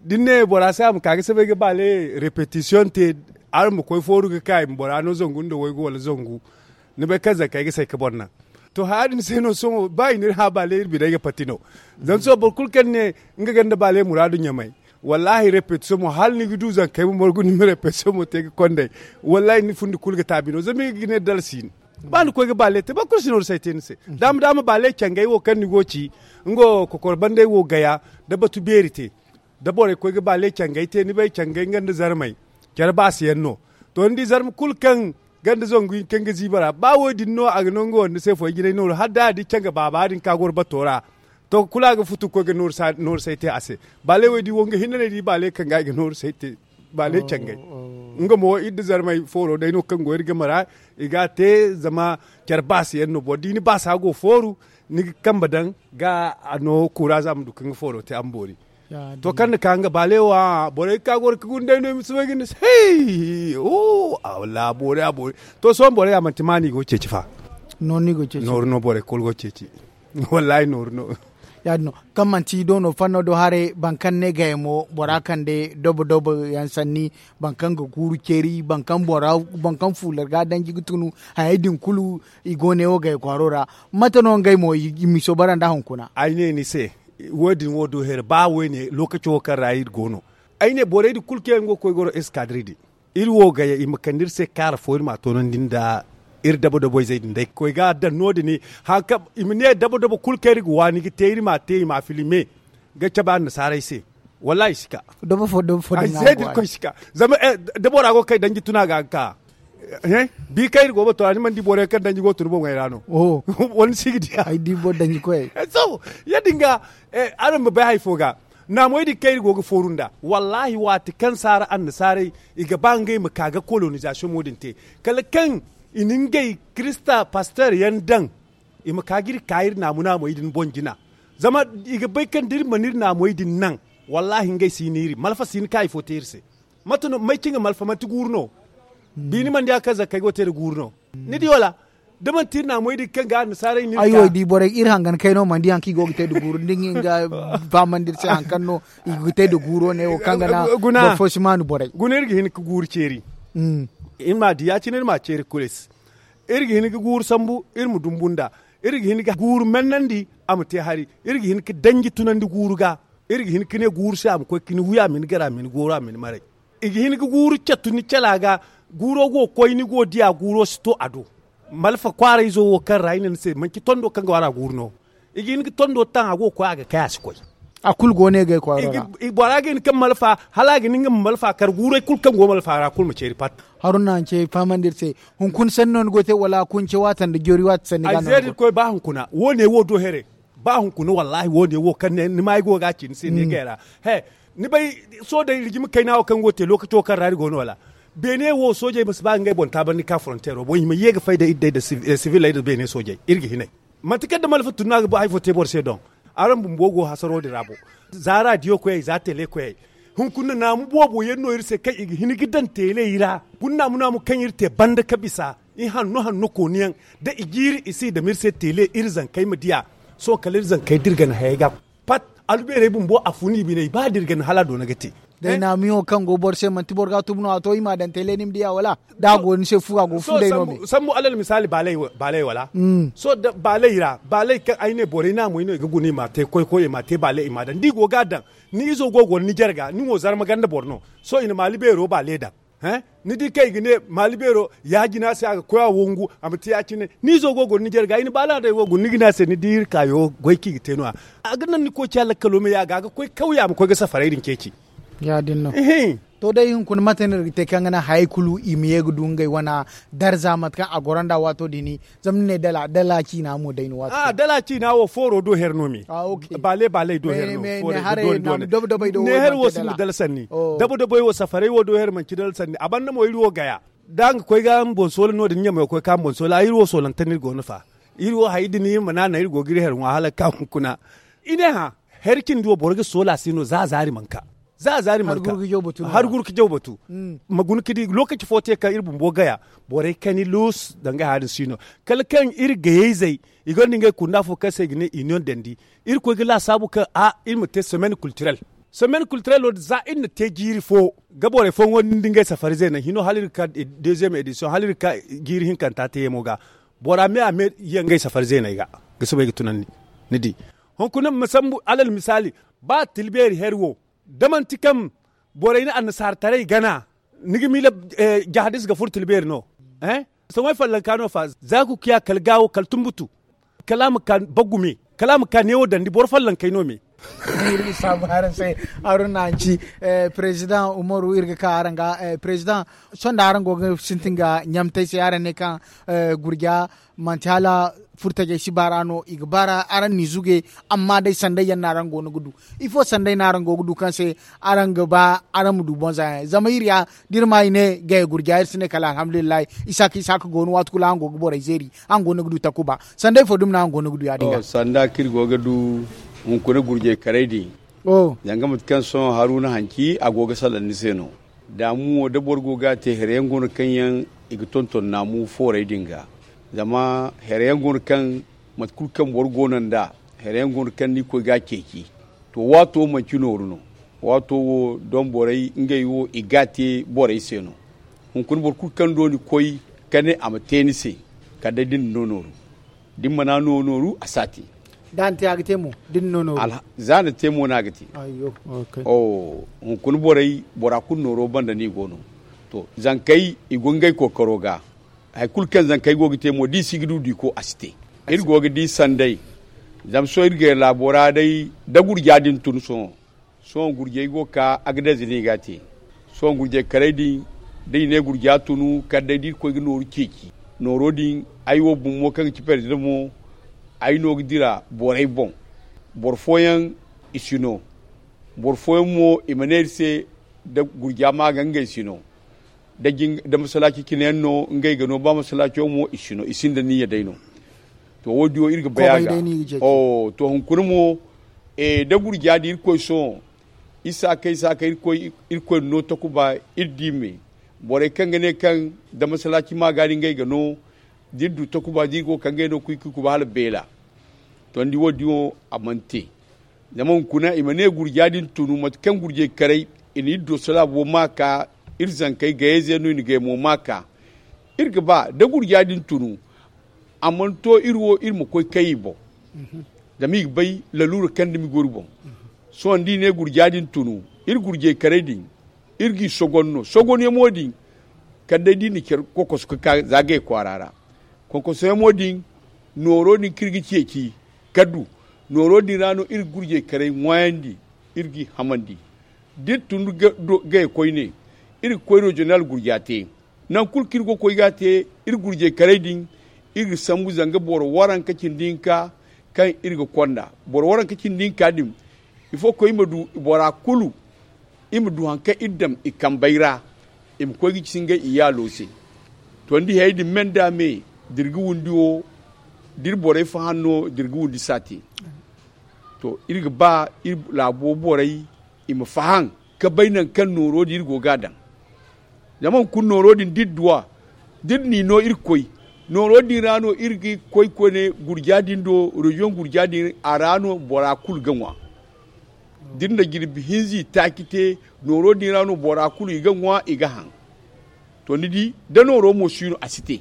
Da ni ne bora se a ma ka ga sabay ga baale repetisiyoŋ te araŋ ma koy fooru ga ka i ma bora no zangu nda waygu wala zangu. Ni bay kaŋ zankey ga say ga boro naŋ. To haya din se no sohõ ba i n'iri hã baale iri biney ga pati no. Zama sohõ boro kulu kaŋ ne nga ganda baale muraadu ɲamay. Wallaahi repetisiyoŋ mo hala ni ga du zankey ma morgu ni ma repetisiyoŋ mo te ga kondey. Wallaahi ni fundi kulu ga taabi no zama i ga ne dala si no. Ba ni koy ga baale te boro kulu si nooru say te ni se. Daama daama baale cangey wo kaŋ ni go ga ci nga wo kokor bandey wo gaya nda batu beeri te. Da borey koy ga baale cangey te ni bay cangey nga nda zarmey care baasi yaŋ no. To ni di zarma kulu kaŋ ganda zangu hinka nga ziiba ra ba wo- din no a ga no nga wande se foy jinay nooru hala da a di canga baaba din ka goro bato ra. To kulu a ga futu ga koy ga nooru say te a se. Baaley wo ay di wo nga hinne no ay di baaley kaŋ ga ay ga nooru say te. Baaley cangey. Nga mo iri nda zarmey fooro day no kaŋ go iri game ra. I ga a te zama care baasi yaŋ no boro da i na baasa go fooru ni ga kambe daŋ ga a no kuura za a ma du kaŋ ga fooro te a ma boori. To kaŋ na ka nga baale wo a borey ga ka goro ga gunday no i ma si bay ga ni se hey. Wallaahi a boori a boori. To sohõ borey a manti ma no i go ga ceeci fa. Nooru no borey kulu go ga ceeci. Wallaahi nooru no. Ya- din no kaŋ manti do no fanno do haray boro kaŋ ne gayamo bora kande dobo dobo yaŋ sanni boro kaŋ ga guuru ceeri boro kaŋ fuular ga danji ga tunu. Hayey din kulu i go ne wo gaya kwaaro ra. Mate no ngey mo i ma i soobara nda hunkuna? Ay ne ni se wo- din wo do here ba wo- ne lookaco wo kaŋ ra iri go no. Ay ne borey din kulu kaŋ yaŋ go ga koy goro eskadiri din iri wo gaya i ma kande iri se kaara fo iri m'a toonandi nda Iri dabo-dabo izey din day ga koy ga a daŋ no- din. Hari kaŋ i ma ne dabo-dabo kulu kaŋ iri ga waani ga te iri m'a te i m'a filime ga cabe annasaarey se. Wallaahi i si ka. Dabo fo dabo fo daŋ a go a ra. Zama da bora go ga kay danji tuna ga a ga ka. Bi kaŋ iri go ga batu ra ni mana di borey kaŋ danji go ga tun boŋey ra no? Wala ni si ga diya. Ay di boro danji koyey. Sohõ ya- din ga araŋ ma bay hari fo ga naamoy din kaŋ iri go ga fooru nd'a. Wallaahi waati kaŋ saara annasaarey i ga ba ngey ma ka ga kolonizasiyoŋo din te, kala kaŋ i na ngey kirista pasteer yaŋ daŋ, i ma ka ga iri ka iri naamu naamey din boŋ jina. Zama i ga bay kaŋ da iri mana iri naamey din naŋ, wallaahi ngey si hin iri malfa si hin ka hari fo te iri se. Mate no may cine ga malfa manti guuru no? Biini mana di hari kaŋ zakkey go ga te nda guuru no? Ni di wala? Da manti iri naamoy din kaŋ ga annasaarey no iri ka. Ay wo ay di borey iri hangan kayno mana di hari kaŋ i go ga te nda guuru ni di nga fahamandi iri se hari kaŋ no i ga te nda guuro ne wo kaŋ ga naŋ boro fo si maanu borey. Guna iri ga hin ga guuru ceeri. Iri m'a di ya- cine iri m'a ceeri kulu ay se. Iri ga hin ga guuru sambu iri ma dumbu nd'a. Iri ga hin ga guuru mennandi a ma te hari. Iri ga hin ga danji tunandi guuru ga. Iri ga hin ga ne guuru se a ma koy ga ni wi a ma ni gar a ma ni gooro a ma ni maray. I ga hin ga guuru catu ni cala ga. Guuro go ga koy ni go ga diya guuro si to a do. Malfa kwaarayzo wo kaŋ ra ay ne ni se manci tondo kaŋ ga wara guuru no. I ga hin ga tondo taŋ a go ga koy a ga kay a si koy. A kulu go no i ga ay kwaaro ra. Bora ga hin kaŋ malfa hala a ga ni nga ma malfa kar guuray kulu kaŋ go malfa ra kulu ma ceeri pat. Haruna hanci ay fahamandi iri se. Hunkuna sanni no ni go ga te wala kunce waati nda joori waati sanni ga no ni go ga te? Ay zeeri iri koy ba hunkuna wo- ne wo do here. Ba hunkuna wallaahi wo- ne wo kaŋ ni ma ay go ga a ci ni se ni gay ra. He, ni bay soojey rijima kayna wo kaŋ go ga te lookaco kaŋ ra iri go no wala? Beene wo soojey ma si ba ngey boŋ taabandi ka foronteero boŋ i ma ye ga fay nda iri day nda siviley nda beene soojey iri ga hinay. Manti kaŋ da malfa tun no a ga ba hari fo te boro se doŋ. Araŋ bumbo go hasaro din ra bo. Za raadiyo koyey za tele koyey. Hunkuna naamu boobo yaŋ no iri se kaŋ i ga hin ga daŋ teeley ra. Guna naamu naamu kaŋ iri te banda ka bisa i hanno hanno kooniyaŋ. Da i jiiri i si i dam iri se teele iri zankey ma diya. Sohõ kala iri zankey dirgan hayey ga pat. Albeerey bumbo a fun i biney ba dirgan hala a doona ga te. Day naamiyo kaŋ go boro se manti boro ga a tubu no a to i m'a daŋ teele ni ma diya wala? Da a go ni se fu a go fu day no me. Sambu alal misaali baaley wala? Sohõ da baaley ra baaley kaŋ ay ne borey naamey no i ga guna i m'a te koy koy i m'a te baaley i m'a daŋ da i go ga a daŋ. Ni izo go ga wala ni jarga ni wo zarma ganda boro no. Sohõ i na maali beero baale daŋ. Ni di kaŋ i ga ne maali beero ya- jina se a ga koy a wangu a ma te ya- cine. Ni izo go ga wala ni jarga i na baala day wo guna ni ga ne a se ni di iri kaayo goy kaŋ i ga te no- ya. A ga naŋ ni koy ciya lakkalo me ya ga a ga koy kawya a ma koy ga safarey din ceeci. Ya- din no. To day hunkuna mate no iri ga te kaŋ ga naŋ hayey kulu i ma ye ga du ngey wane darza mate kaŋ a goro nd'a waato din. Zama ni ne dala dala ciina mo day no waato din. Dala ciina wo fooro do here no me. Baale baaley do here no fooro do here no. Ne here wo si ma dala sanni. Dabo daboy wo safarey wo do here manci dala sanni a banda mo iri wo gaya. Da nga koy ga nga boŋ soola no- din ɲamey wo koy ka nga boŋ soola iri wo soolante no iri go no fa. Iri wo hayey din iri ma naana iri go ga iri here ŋwa hala ga ka hunkuna. I ne hã, hari cindi wo boro ga soola se no za a zaari mana ka. Za a zaari mana ka. Hari guru ga jaw batu. Ma guna ga di lookaci fo te kaŋ iri bumbo gaya borey kani luus danga hã din si no. Kala kaŋ iri gayey zey i gonda ngey kunda fo kaŋ se i ga ne iniyoŋ dandi. Iri koy ga laasaabu kaŋ a iri ma te semaine kulturel. Semaine kulturel wo din za iri na te jiiri fo ga borey fooyaŋo din da ngey safari zeeney hino hala iri ga ka deeziyem edisiyoŋ hala iri ga ka jiiri hinkanta te yeemo ga. Bora me a me yaŋ ngey safari zeeney ga ga soobay ga tunandi. Ni di hunkuna ma sambu alal misaali ba tilbeeri hari wo da manti kaŋ borey na annasaara taray gana ni ga miila jahadis ga furo tilbeeri no. Soŋay fallanka no fa za ga kuya kala gaawo kala tumbutu kala a ma ka baggu me kala a ma ka neewo dandi boro fallankey no me. Iri ga saabu araŋ se. Haruna hanci, perezidaŋ umaru iri ga ka araŋ ga. Perezidaŋ, sohõ da araŋ go ga sintin ga ɲamtay se araŋ ne kaŋ gurja manti hala furtajey si baara no i ga baara araŋ n'i zuge. Amma day sanday yaŋ no araŋ go no ga du ifo sanday no araŋ go ga du kaŋ se araŋ ga ba araŋ ma du bonza yaŋ zama iri ya da iri ma i ne gaya gurja iri si ne kala alhamdulillahi. Isaaka isaaka go no waati kulu araŋ go ga borey zeeri araŋ go no ga du takuba sanday fo dumi no araŋ go no ga du ya- din ga. Sanda kaŋ iri go ga du hunkuna gurjay karay din. Zanga mate kaŋ sohõ haruna hanci a go ga salaŋ ni se no. Daamu wo da boro go ga a te here yaŋ go no kaŋ yaŋ i ga tonton naamu foorey din ga. Zama here yaŋ go no kaŋ mate kulu kaŋ boro go no nd'a here yaŋ go no kaŋ ni ga koy ga a ceeci. To waato manci nooru no. Waato wo doŋ borey ngey wo i ga a te borey se no. Hunkuna boro kulu kaŋ do ni koy ka ne a ma te ni se kala day da ni na no nooru. Da ni mana no nooru a si a te. Da a na te a ga te mo da ni na no nooru. Za a na te mo no a ga te. Hunkuna borey bora kulu nooro banda no i go no. To zankey i go ngey kookaro ga. Hari kulu kaŋ zankey go ga te mo da i si ga du diiko a si te. Iri go ga di sanday. Zama sohõ iri ga laabo ra day da gurja din tun sohõ. Sohõ gurjey go ga ka agdez no i ga a te. Sohõ gurjey karay din da i ne gurja tunu kala day da irkoy ga nooru ceeci. Nooro din ay wo bumbo kaŋ ga ci perezidaŋ mo ay no ga dira borey boŋ. Boro fooyaŋ i si no. Boro fooyaŋ mo i ma ne iri se da gurja ma ga ngey si no. Da masalaaci cine yaŋ no ngey ga no ba masalaaco mo i si no i sinda niyya day no. To wo- din wo iri ga bay a ga. To hunkuna mo da gurja din irkoy sohõ isa kay isa kay irkoy na no takuba. Iri di me borey kaŋ ga ne kaŋ da masalaaci ma ga din ngey ga no da iri du takuba da iri go ga kaŋ ngey no kuy kuy kuba hala beela. To ni di wo- din wo a mana te. Zama hunkuna i ma ne gurja din tunu mate kaŋ gurjey karay i na iri do salaabo ma ka. Iri zankey gayey ze no i na gay mo ma ka. Iri ga ba da gurja din tunu a mana to iri wo iri ma koy kay i boŋ. Zama i ga bay laluura kaŋ dumi go iri boŋ. Sohõ da i ne gurja din tunu iri gurjey karay din iri g'i sogon no sogon yaŋo din. Kala day da i na care kokoso ga ka za gay kwaara ra. Kokoso yaŋo din nooro din kaŋ iri ga ceeci ka du nooro din ra no iri ga gurjey karay ŋwaayandi. Iri g'i hamandi da iri tun gay koyne iri ga koy rejiyonal gurja te. Nangu kulu kaŋ iri go ga koy ga a te iri gurjey karay din iri ga sambu zanga boro waranka cindi hinka kaŋ iri ga konda boro waranka cindi hinka din. Ifo ga koy i ma du bora kulu i ma du hari kaŋ iri daŋ i kambey ra. I ma koy ga ci ngey iyaalo se. To ni di hayey din me nda me da iri ga windi wo da iri borey faham no da iri ga windi saate. To iri ga ba iri laabo borey i ma faham ka bay nangu kaŋ nooro din iri go ga a daŋ. Zama hunkuna nooro din da iri du a da iri n'i no iri ga koy nooro din ra no iri ga koy koyne gurja din do reziyoŋ gurja din a ra no bora kulu ga ŋwa. Da iri na jirbi hinza i taaci te nooro din ra no bora kulu i ga ŋwa i ga haŋ. To ni di da nooro mo si no a si te.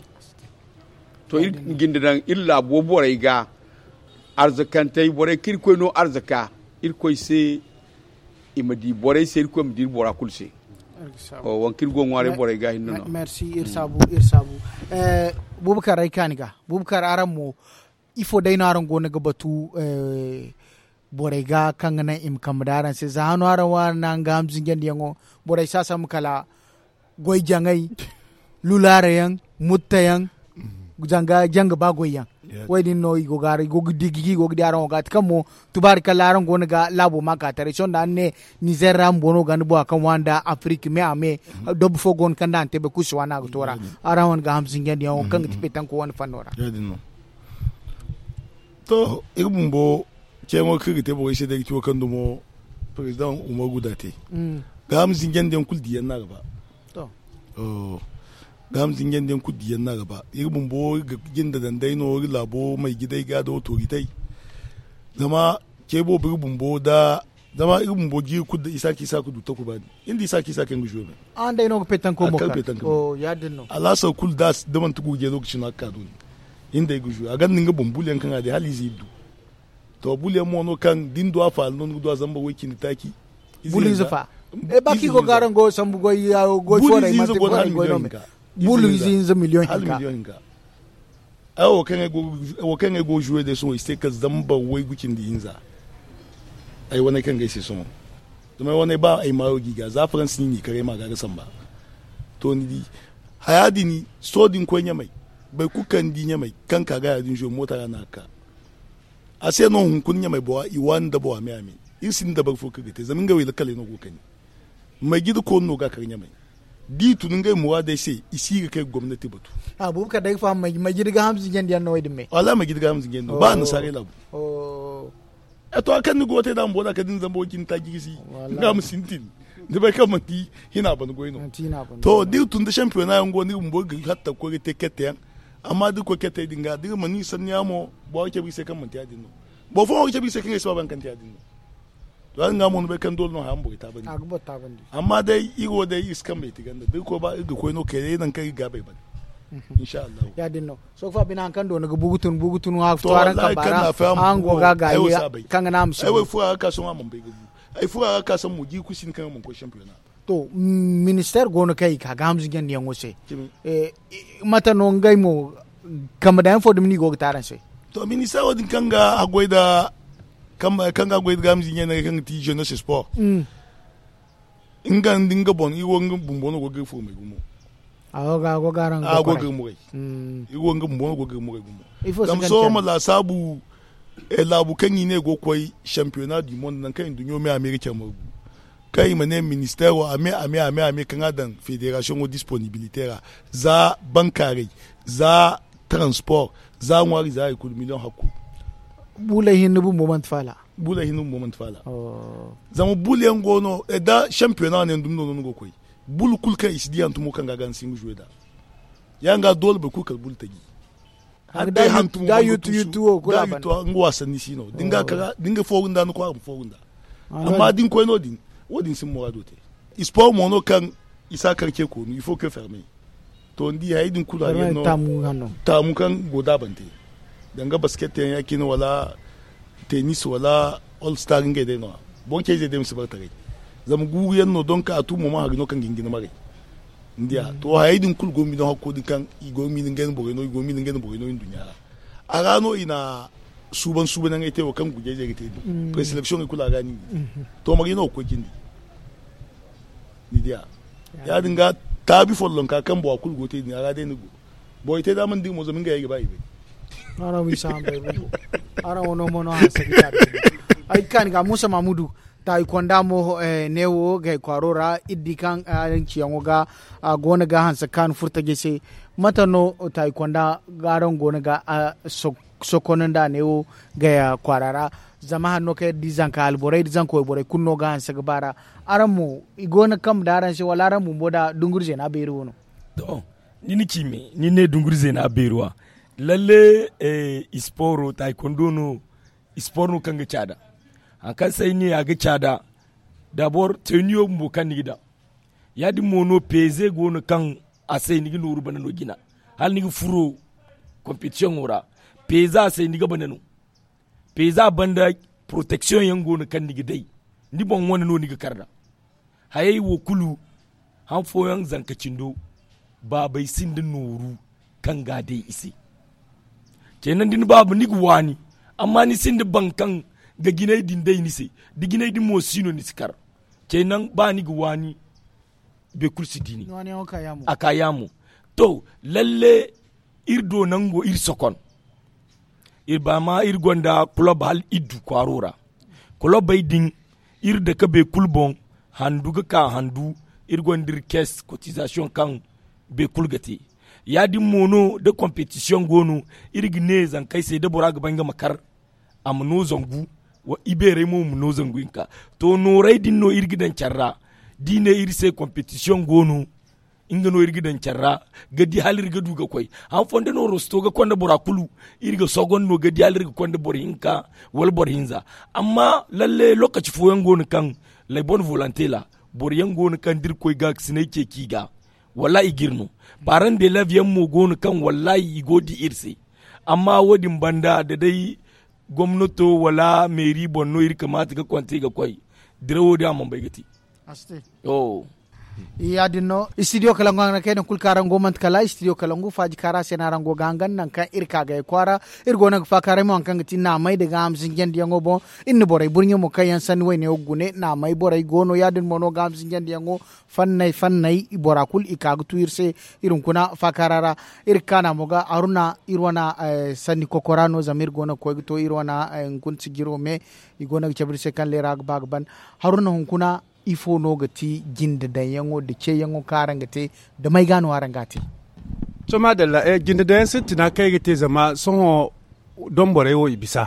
To iri jinde daŋ iri laabo borey ga arzakantey borey kaŋ irkoy no arzaka irkoy se. I ma di borey se irkoy ma di iri bora kulu se. Waŋ kaŋ iri go ga ŋwaaray borey ga hinne no. Merci iri saabu iri saabu. Bubakar ay kaani ga bubakar araŋ mo ifo day no araŋ go no ga batu borey ga kaŋ ga naŋ i ma kambe da araŋ se za hano araŋ wo araŋ na nga ham zinjandiyaŋo borey si a sambu kala goy jaŋay lulaara yaŋ mutta yaŋ zanga janga ba goy yaŋ. Wo- din no i go ga di araŋ wo ga a ti kaŋ mo tubaari kala araŋ go no ga laabo ma ka taray sohõ da araŋ ne nizer ra bumbo no ga ni bora kaŋ waani nda afirik me a me. Dabba fo go no kaŋ da a na te bay kulu si waani a ga to ra. Araŋ wane ga ham zinjandiyaŋo kaŋ ga ti petanko wane fanno ra. To iri bumbo ceeyaŋo kaŋ iri ga te borey se day ga ci wo kaŋ dumo perezidaŋ umaru guda te. Gaaham zinjandiyaŋ kulu diyaŋ no a ga ba. Gaaham zinjandiyaŋ kulu diyaŋ no a ga ba iri bumbo iri ga jinde daŋ day no iri laabo may jiday ga da otoritey. Zama ce boobo iri bumbo da zama iri bumbo jiiri kulu da isa ka isa ka du takuba din iri nda isa ka isa kaŋ ga zuwe me. Araŋ day no ga petanko mo kaŋ alhasar kulu da manti gurje lokaci no a ga ka do ni. Iri nda ay ga zuwe a gonda nga boŋ bulu yaŋ kaŋ a di hala ize iri du. To bulu yaŋ mo no kaŋ da ni du a faala no ni ga du a zambar way cindi taaci. Bulu ize fa. Ba kaŋ i go ga araŋ go sambu goy fooray manti goy no me. Bulu ize hinza miliyoŋ hinka. Ay wo kaŋ ay go ga zuwe day sohõ i si te kala zambar waygu cindi hinza. Ay wane kaŋ ga ay se sohõ zama ay wane ba ay maayo ga i ga za faransi ni n'i kar ay ma ga ga samba. To ni di haya din sohõ da ni koy ɲamay boro kulu kaŋ ni di ɲamay kaŋ ka ga ya din zuwe moota ra no a ga ka. A se no hunkuna ɲamay bora i waani nda bora me a me. Iri sinda dabari fo kaŋ ga te zama ngey wo i lakkaley no go ga kani. Majida koonu no ga a kar ɲamay da i tun ngey muraadey se i si ga kay ga gomnati batu. Abubakar day ga faham majida ga hamza ɲandiyaŋ no wo- din me. Wallaahi majida ga hamza ɲandiyaŋ no ba annasaarey laabu. To hari kaŋ ni go ga te da a ma boro da kala da ni zamba wo- din ta jirsi. Nga ma sintin ni bay kaŋ manti hina ban goy no. To da iri tun da shampiyona yaŋ go no iri bumbo ga hatta ga koy ga te kette yaŋ. Amma da iri koy kette din ga da iri mana iri sanniya mo boro ga cabe iri se kaŋ manti ya- din no. Boro fooyaŋ wo ga cabe iri se kaŋ ay si ba ba hari kaŋ te ya- din no. To ya- din ga mo ni bay kaŋ doole no haya ma borey taabandi. Amma day iri wo day iri si kambey ti ganda da iri koy ba iri ga koy no kayray nangu kaŋ iri ga gaabey ban. Insha allahu. Ya- din no sohõ fa bine hari kaŋ do ni ga bugu tun bugu tun haka to araŋ kamba ra. Araŋ go ga gaayi kaŋ ga naŋ a ma si ay wo ay furo a ga ka sohõ a mana bay ga bu. Ay furo a ga ka sambu mo jiiri kulu si hin kaŋ a mana koy shampiyona. To, ministeer go no kaŋ i ka ga hamzinjandiyaŋo se. Mate no ngey mo kambe daŋ yaŋ fo dumi no i go ga te araŋ se? To, ministeero din kaŋ ga haggoy nda kaŋ ga haggoy nda ga hamzinjandiyaŋ kaŋ ga ti jeunesse sport. Nga nda nga boŋ iri wo nga bumbo no go ga iri foomay gumo. A go ga araŋ a go ga iri muray. Iri wo nga bumbo no go ga iri muray gumo. Zama sohõ ma laasaabu laabu kaŋ i ne go ga koy championnat du monde nangu kaŋ i na duɲɲo me a me ga care margu. Kaŋ i ma ne ministeero a me a me a me a me kaŋ a daŋ federasiyoŋo disponibilite ra, za bankaaray, za transport, za ŋwaari za hari kulu miliyoŋ hakku. Buley hinne bumbo manti faala. Buley hinne bumbo manti faala. Zama bul yaŋ go no da championnat ne ni dumi no no ni go ga koy. Bul kulu kaŋ i si di hantumo kaŋ ga a ga ni si nga jouer nd'a. Ya- din ga doole boro kulu kala bul taji. Hala day hantum da yutu yutu wo kulu a banda nga wasanni si no da ni ga fooru nda ni kwaara ma fooru nda. Amma da ni koy no- din wo- din si ni muraado te. Sport mo no kaŋ i si a kar ce koonu il faut que ferme. To ni di hayey din kulu a ga no taamu kaŋ go da a ban te. Danga basket yaŋ ya- cine wala tennis wala all star ngey day no- ya. Boro cayzey day ma si bare taray. Zama guuru yaŋ no donk a tu mo ma hari no kaŋ ga hin ga ni maray. Ni diya to hayey din kulu go ga miilaŋ hakko din kaŋ i go ga miilaŋ ngey na borey no i go ga miilaŋ ngey na borey no i na duɲɲa ra. A ra no i na suuban suuban yaŋey te wo kaŋ gujayzey ga te din preseleksiyoŋey kulu a ga no i ga te. To marga no ga koy cindi? Ni diya ya- din ga taabi follonka kaŋ bora kulu go ga te din a ra day ni go. Borey te da a mana dira mo zama ngey ay ga ba i bay. Araŋ wo no mo no hanse ga caadi. Ay ga kaani ga muusa mamudu. Taayi konda mo neewo gay kwaaro ra iri di kaŋ araŋ ciyaŋo ga a go no ga hanse kaanu furtajey se. Mate no taayi konda araŋ go no ga a sokon nda neewo gay kwaara ra? Zama hanno kaŋ iri di zanka alborey nda zanka wayborey kulu no ga hanse ga ba ra. Araŋ mo i go no ga kambe da araŋ se wala araŋ bumbo nda dunguri zeena beeri wo no? To, ni na ci me ni ne dunguri zeena beeri wa. Lalle, ispooro taayi kondo no. Ispooro no kaŋ ga caada hari kaŋ se ay ne a ga caada. Dabor teniyo bumbo kaŋ ni ga daŋ ya- din mo no peeze go no kaŋ a se ni ga nooru banda no jina hala ni ga furo kompetisiyoŋo ra. Peeza se ni ga banda no. Peeza banda poroteksiyoŋ yaŋ go no kaŋ ni ga day ni boŋ wane no ni ga kar nd'a. Hayey wo kulu han fooyaŋ zanka cindo baabey sinda nooru kaŋ ga a day i se. Ceenandi ni baaba ni ga waani amma ni sinda baŋ kaŋ ga jinay din day ni se. Da jinay din mo si no ni si kar ceenaŋ ba ni ga waani. Boro kulu si di ni a ka yaamo. To, lalle iri do nango iri sokon. Iri ba ma iri gonda kulob hala iri du kwaaro ra. Kulobey din iri dake boro kulu boŋ handu ga ka handu. Iri gonda iri kees kotizasiyoŋ kaŋ boro kulu ga te. Ya- din mo no da kompetisiyoŋ go no iri ga ne zankey se da bora ga ba nga ma kar a ma no zangu. Ibeerey mo ma no zangu hinka. To noorey din no iri ga daŋ care ra. Da i ne iri se kompetisiyoŋ go no nga no iri ga daŋ care ra ga di hala iri ga du ga koy. Han fondo no rosto ga konda bora kulu iri ga sogon no ga di hala iri ga konda boro hinka wala boro hinza. Amma lalle lokaci fooyaŋ go no kaŋ laybon volonte ra boro yaŋ go no kaŋ da iri koy ga ga sinay ceeci i ga wallaahi i ga iri no. Paran de lev yaŋ mo go no kaŋ wallaahi i go ga di iri se. Amma wo- din banda da day gomnato wala meeri boŋ no iri kamaata ga konte ga koy. Dirawo din a mana bay ga te. Ya- din no istidiyo kalangu araŋ kayna kulu kaŋ araŋ go manti kala istidiyo kalangu faaji kaara se no araŋ go ga hangan nangu kaŋ iri ka gay kwaara. Iri go no ga faakaaray mo hari kaŋ ga ti naamay nda gaaham zinjandiyaŋo boŋ. Iri na borey burɲe mo kaŋ yaŋ sanni wayne wo ga gune naamay borey go no ya- din mo no gaaham zinjandiyaŋo fanney fanney bora kulu i ka ga tu iri se. Iri hunkuna faakaara ra iri ga kaana mo ga haruna iri wane sanni kokora no zama iri go no ga koy ga to iri wane hunkuna sijiro me. I go no ga cabe iri se kaŋ leera ga ba ga ban haruna hunkuna ifo no ga ti jinde daŋyaŋo nda ceeyaŋo kaŋ araŋ ga te? Da may ga no araŋ ga a te? To maadalla jinde daŋyaŋ sintina kaŋ ay ga te zama sohõ domborey wo i bisa.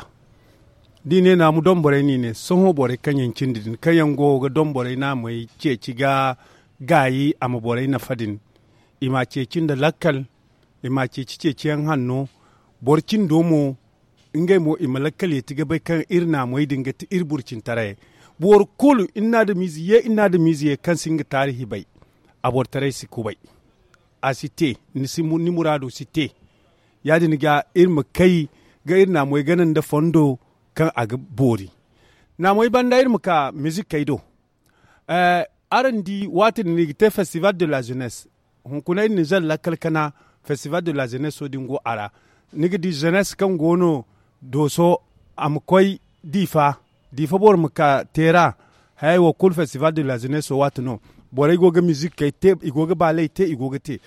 Da i ne naamu domborey no i ne sohõ borey kaŋ yaŋ cindi din kaŋ yaŋ go ga domborey naamey ceeci ga gaayi a ma borey nafa din. I m'a ceeci nda lakkal i m'a ceeci ceeciyaŋ hanno. Boro cindo mo ngey mo i ma lakkal yeeti ga bay kaŋ iri naamey din ga ti iri burcintaray. Boro kulu iri na adamiize ye iri na adamiize ye kaŋ si nga taarihi bay. A borotaray si kubay. A si te ni muraado si te. Ya- din ga iri ma kay ga iri naamey gana nda fondo kaŋ a ga boori. Naamey banda iri ma ka mizikey do. Araŋ di waati din no i ga te festival de la jeunesse. Hunkuna iri ninzeer lakkal kana festival de la jeunesse wo din go a ra. Ni ga di jeunesse kaŋ go no dooso a ma koy diifa diifa boro ma ka teera. Hayey wo kulu festival de la jeunesse wo waati no borey go ga mizikey te i go ga baaley te i go ga te.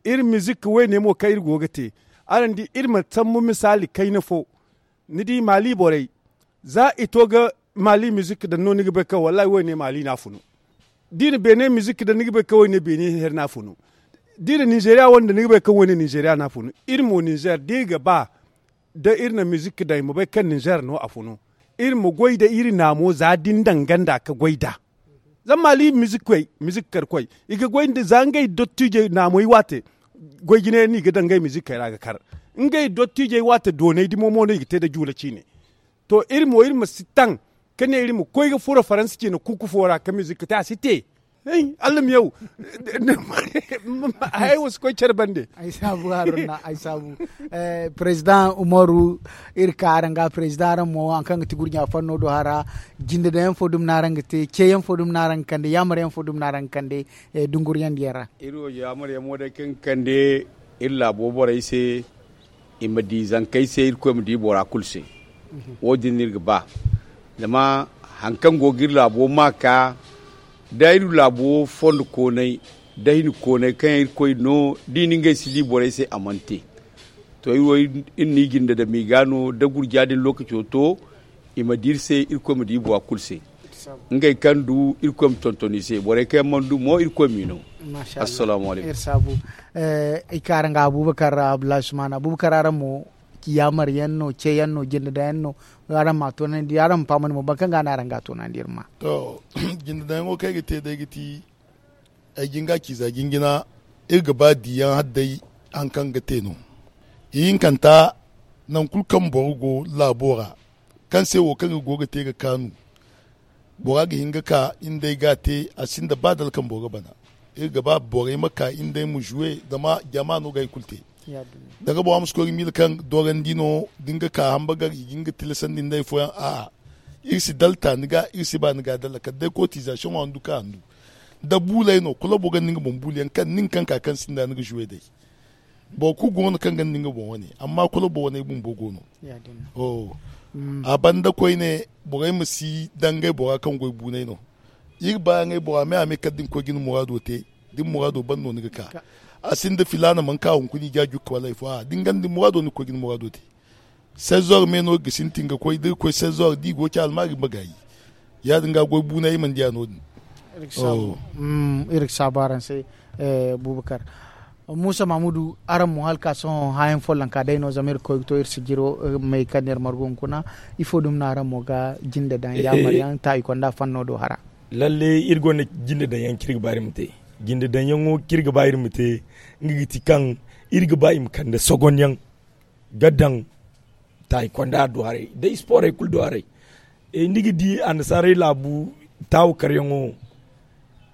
Iri mizik woyne mo kaŋ iri go ga te araŋ di iri ma sambu misaali kayna fo. Ni di maali borey za i to ga maali mizik daŋ no ni ga bay kaŋ wallaahi woyne maali no a funu. Da i na beene mizik daŋ ni ga bay kaŋ woyne beene here no a funu. Da i na ninzeeriya wane daŋ ni ga bay kaŋ woyne ninzeeriya no a funu. Iri mo ninzeer da iri ga ba da iri na mizik daŋ i ma bay kaŋ ninzeer no a funu. Iri ma goy nda iri naamo za da ni danga nd'a ga goy nd'a. Zama maali mizik koy mizik kar koy i ga goy nda za ngey dottiijey naamoy waate. Goy jinay no i ga daŋ ngey mizikkey ra ga kar. Ngey dottiijey waate doonay dimo mo no i ga te nda juula ciine. To iri mo iri ma si taŋ ka ne iri ma koy ga furo faransa ciine kuku fo ra ka mizik te a si te. Alla ma yaw. Hayey wo si koy care bande. Ay saabu haruna ay saabu. Perezidaŋ umaru, iri ka araŋ ga perezidaŋ araŋ mo hari kaŋ ga ti gurɲa fanno do hara. Jinde daŋ yaŋ fo dumi no araŋ ga te ce yaŋ fo dumi no araŋ ga kande yaamar yaŋ fo dumi no araŋ ga kande dunguriyaŋ diyaŋ ra. Iri wo yaamar yaŋ mo day kaŋ ga kande iri laabo borey se i ma di zankey se irkoy ma di bora kulu se. Wo- din no iri ga ba zama hari kaŋ go ga iri laabo ma ka da iri laabo fondo koonay da hini koonay kaŋ yaŋ irkoy no da i na ngey si di borey se a mana te. To iri wo iri no i jinde dama i ga no da gurja din lookaco to i ma di iri se irkoy ma di bora kulu se. Ngey kaŋ du irkoy ma tonton i se borey kaŋ yaŋ mana du mo irkoy m'i no. Assalaamu alaykum. Iri kaara nga abubakar abdullahi sumana abubakar araŋ mo yaamar yaŋ no ce yaŋ no jinde daŋ yaŋ no. Araŋ ma a toonandi araŋ ma fahamandi mo boro kaŋ ga no araŋ ga a toonandi iri ma. To jinde daŋ yaŋo kaŋ ay ga te day ga ti ay jin ga a ci za jinjina. Iri ga ba diyaŋ hala day hari kaŋ ga te no. Ihinkanta nangu kulu kaŋ boro go laabo ra kaŋ se wo kaŋ iri go ga te ga kaanu bora ga hin ga ka iri nd'ey ga a te a sinda ba dala kaŋ boro ga bana. Iri ga ba borey ma ka iri nd'ey ma zuwe zama jama no ga hari kulu te. Da nga bora ma si koy ga miila kaŋ doorandi no da nga ka hambagar i ga hin ga tilasandi nd'ey fooyaŋ a'a. Iri si dalta ni ga iri si ba ni ga dalla kala day kootizasiyoŋo handu kaŋ handu da buuley no kula boro ga ni nga boŋ buuliyaŋ kaŋ nin kaŋ ka kaŋ sinda ni ga zuwe day. Boro kulu go no kaŋ ga ni nga boŋ wane amma kula boro wane bumbo go no. A banda koyne borey ma si daŋ ngey bora kaŋ goy buunay no. Iri ba ngey bora me a me kala da ni koy ga ni muraado te da ni muraado ban no ni ga ka. A sinda filaana mana ka hunkuna i ga a jukka wala hari fo a da ni ganda ni muraado ni ga koy ga ni muraado te. Seize heures me no iri ga sintin ga koy da iri koy seize heures da i go ga ci almaari ma gaayi. Ya- din ga goy buunay iri mana diya no- din. Iri ga saabu araŋ se. Bubakar muusa mahamudu araŋ mo hala ka sohõ hãayaŋ follonka day no zama iri ga koy ga to iri sijiro may kaŋ no iri margu hunkuna. Ifo dumi no araŋ mo ga jinde daŋ yaamar yaŋ taayi konda fanno do hara? Lalle iri gonda jinde daŋ yaŋ kaŋ iri ga ba iri ma te. Jinde daŋ yaŋo kaŋ iri ga ba iri ma te nga ga ti kaŋ iri ga ba i ma kande sogon yaŋ ga daŋ taayi konda do haray da sporey kulu do haray. Ni ga di annasaarey laabu taawu karyaŋo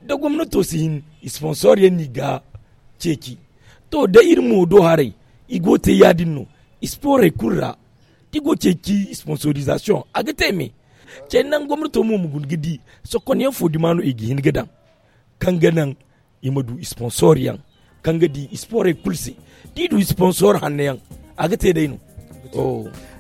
da gomnato si hin sponsor yaŋ no i ga ceeci. To da iri mo do haray i go ga te ya- din no sporey kulu ra da i go ga ceeci sponsorizasiyoŋ a ga te me. Cey naŋ gomnato mo ma guna ga di sokon yaŋ fo duma no i ga hin ga daŋ kaŋ ga naŋ i ma du sponsor yaŋ kaŋ ga di sporey kulu se. Da i du sponsor hanno yaŋ a ga te day no.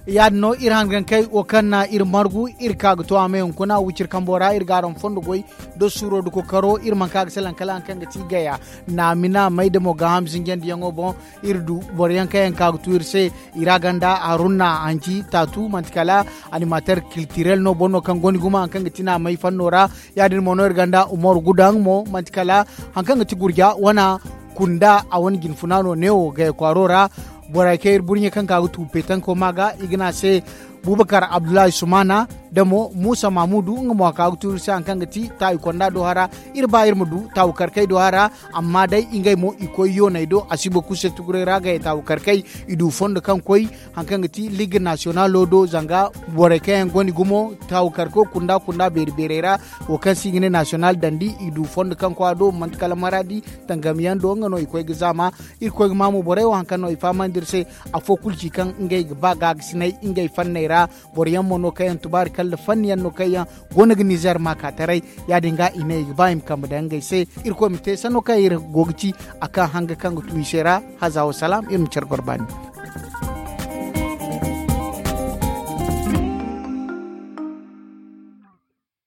Ya- din no iri hangankey wo kaŋ na iri margu iri ka ga to a ma hunkuna wiciri kambo ra iri ga araŋ fondo goy da suuro da kokaro iri mana ka ga salaŋ kala hari kaŋ ga ti gaya naamina may da mo gaaham zinjandiyaŋo boŋ. Iri du boro yaŋ kaŋ yaŋ ka ga tu iri se i ra ganda haruna hanci taatu manti kala animater kiltirel no boro no kaŋ gonda gumo hari kaŋ ga ti naamay fanno ra. Ya- din mo no iri ganda umaru gudaŋ mo manti kala hari kaŋ ga ti gurja wana kunda a wane jinfuna no neewo gaya kwaaro ra. Borey kaŋ iri burɲe kaŋ ka ga tu petanko ma ga i ga ne a se bubakar abdullahi sumana da mo muusa mahamudu nga mo a ka ga tu iri se hari kaŋ ga ti taayi konda do hara. Iri ba iri ma du taawu karkey do hara. Amma day ngey mo i koy yooney do a si boro kulu se tuguray ra gaya taawu karkey i du fondo kaŋ koy hari kaŋ ga ti ligue nasiyonalo do zanga borey kaŋ yaŋ gonda gumo taawu karko kunda kunda beeri beerey ra. Wo kaŋ se i ga ne nasiyonal dandi i du fondo kaŋ koy a do manti kala maradi tangamiyaŋ do nga no i koy ga zaama. Iri koy ga ma mo borey wo hari kaŋ no i fahamandi iri se afo kulu ci kaŋ ngey ga ba gaagasinay ngey fanney. ra. Boro yaŋ mo no kaŋ yaŋ tubaari kala nda fanni yaŋ no kaŋ yaŋ go no ga nizeer maaka taray. Ya- din ga i ne i ga ba i ma kambe daŋ ngey se. Irkoy ma te sanno kaŋ iri go ga ci a kaŋ hanga kaŋ ga tu i se ra. Haza wa salaam, iri ma care goro baani.